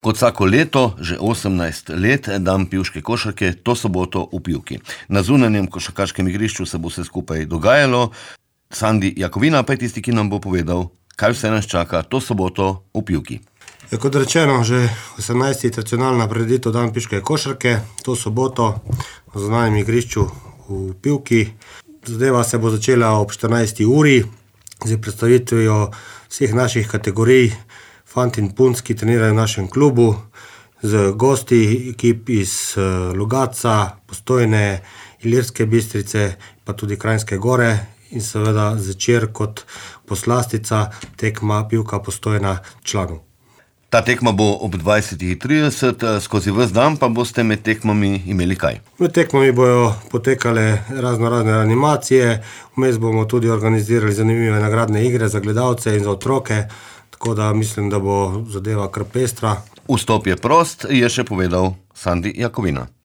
Kot vsako leto, že 18 let, dan pivške košarke, to soboto v Pivki. Na zunanjem košarkaškem igrišču se bo vse skupaj dogajalo. Sandi Jakovina pa je tisti, ki nam bo povedal, kaj vse nas čaka to soboto v Pivki. Kot rečeno, že 18. tradicionalna prireditev dan pivške košarke, to soboto na zunanjem igrišču v Pivki. Zadeva se bo začela ob 14. uri z predstavitvijo vseh naših kategorij, fanti in punc, ki trenirajo v našem klubu, z gosti ekip iz Logatca, Postojne, Ilirske Bistrice, pa tudi Kranjske Gore in seveda zvečer kot poslastica tekma Pivka Postojna članov. Ta tekma bo ob 20:30, skozi ves dan pa boste med tekmami imeli kaj? Med tekmami bojo potekale razne animacije, vmes bomo tudi organizirali zanimive nagradne igre za gledalce in za otroke, tako da mislim, da bo zadeva kar pestra. Vstop je prost, je še povedal Sandi Jakovina.